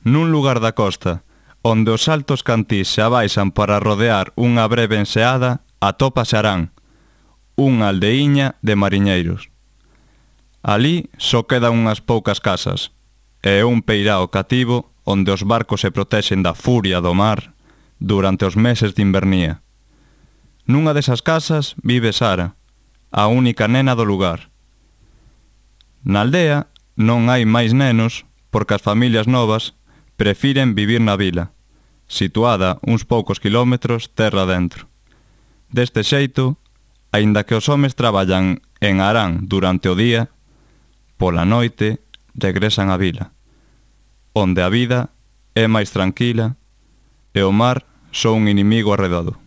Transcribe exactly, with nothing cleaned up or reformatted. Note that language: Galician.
nun lugar da costa, onde os altos cantís se abaixan para rodear unha breve enseada, atópase Arán, unha aldeiña de mariñeiros. Alí só quedan unhas poucas casas, e un peirao cativo onde os barcos se protexen da furia do mar durante os meses de invernía. Nunha desas casas vive Sara, a única nena do lugar. Na aldea non hai máis nenos porque as familias novas prefiren vivir na vila, situada uns poucos quilómetros terra dentro. Deste xeito, aínda que os homes traballan en Arán durante o día, pola noite regresan á vila, onde a vida é máis tranquila e o mar só un inimigo arredado.